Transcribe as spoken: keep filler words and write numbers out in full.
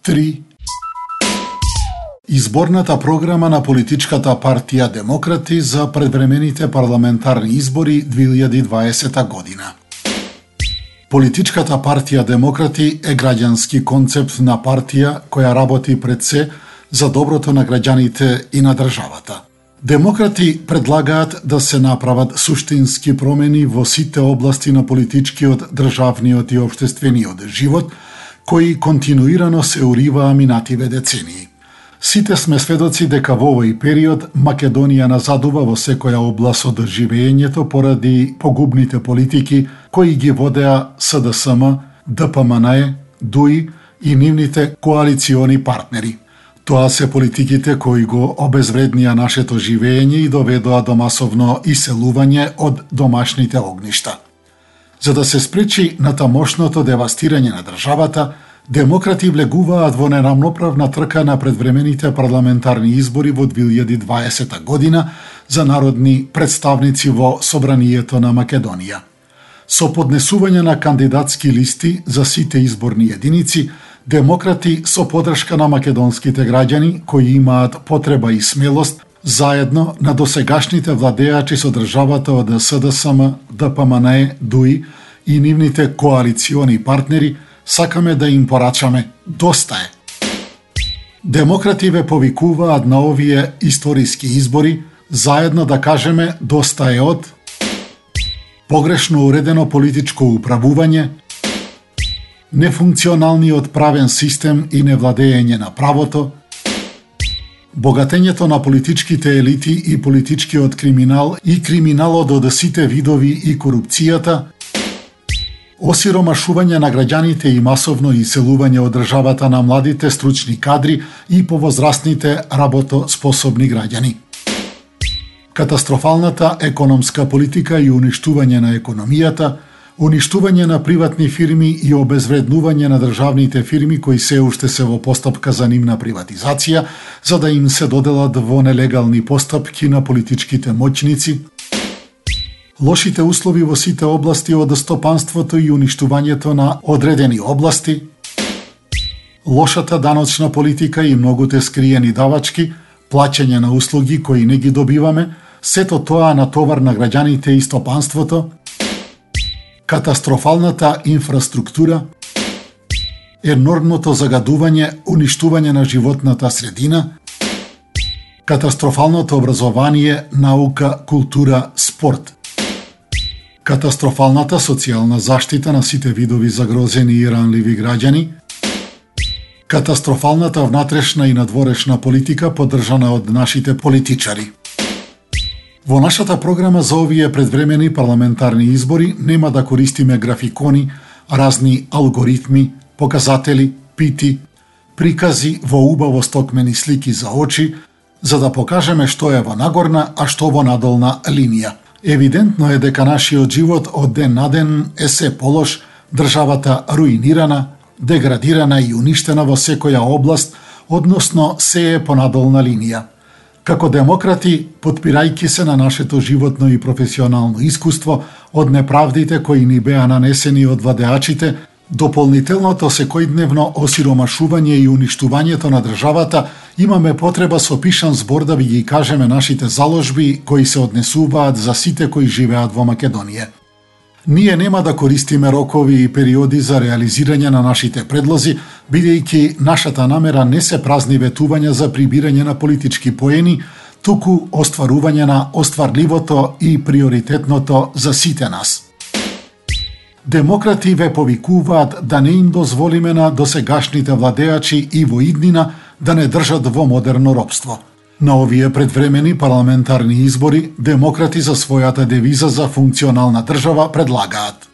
три. Изборната програма на политичката партија Демократи за предвремените парламентарни избори две илјади и дваесета година. Политичката партија Демократи е граѓански концепт на партија која работи пред се за доброто на граѓаните и на државата. Демократи предлагаат да се направат суштински промени во сите области на политичкиот, државниот и општествениот живот, кои континуирано се уриваа минативе децении. Сите сме сведоци дека во овој период Македонија назадува во секоја област од живеењето поради погубните политики кои ги водеа С Д С М, Д П М Н Е, Д У И и нивните коалициони партнери. Тоа се политиките кои го обезвреднија нашето живеење и доведоа до масовно иселување од домашните огништа. За да се спречи натамошното девастирање на државата, Демократи влегуваат во нерамноправна трка на предвремените парламентарни избори во две илјади и дваесета година за народни представници во Собранието на Македонија. Со поднесување на кандидатски листи за сите изборни единици, Демократи со подршка на македонските граѓани кои имаат потреба и смелост, заедно на досегашните владеачи со државата од С Д С М, Д П М Н Е, Д У И и нивните коалициони партнери, сакаме да им порачаме доста е. Демократи ве повикуваат на овие историски избори заедно да кажеме доста е од погрешно уредено политичко управување, нефункционалниот правен систем и невладење на правото, богатењето на политичките елити и политичкиот криминал и криминалот од сите видови и корупцијата, осиромашување на граѓаните и масовно иселување од државата на младите стручни кадри и повозрастните работоспособни граѓани. Катастрофалната економска политика и уништување на економијата, уништување на приватни фирми и обезвреднување на државните фирми кои се уште се во постапка за нивна приватизација, за да им се доделат во нелегални постапки на политичките моќници, лошите услови во сите области од стопанството и уништувањето на одредени области, лошата даночна политика и многуте скриени давачки, плаќање на услуги кои не ги добиваме, сето тоа на товар на граѓаните и стопанството, катастрофалната инфраструктура, енормното загадување, уништување на животната средина, катастрофалното образование, наука, култура, спорт, катастрофалната социјална заштита на сите видови загрозени и ранливи граѓани, катастрофалната внатрешна и надворешна политика поддржана од нашите политичари. Во нашата програма за овие предвремени парламентарни избори нема да користиме графикони, разни алгоритми, показатели, пити, прикази во убаво стокмени слики за очи, за да покажеме што е во нагорна, а што во надолна линија. Евидентно е дека нашиот живот од ден на ден е се полош, државата руинирана, деградирана и уништена во секоја област, односно се е по надолна линија. Како демократи, потпирајќи се на нашето животно и професионално искуство од неправдите кои ни беа нанесени од владеачите, дополнителното секојдневно осиромашување и уништувањето на државата, имаме потреба со пишан збор да ви ги кажеме нашите заложби кои се однесуваат за сите кои живеат во Македонија. Ние нема да користиме рокови и периоди за реализирање на нашите предлози, бидејќи нашата намера не се празни ветувања за прибирање на политички поени, туку остварување на остварливото и приоритетното за сите нас. Демократи ве повикуваат да не им дозволиме на досегашните владеачи и во иднина да не држат во модерно робство. На овие предвремени парламентарни избори, демократи за својата девиза за функционална држава предлагаат: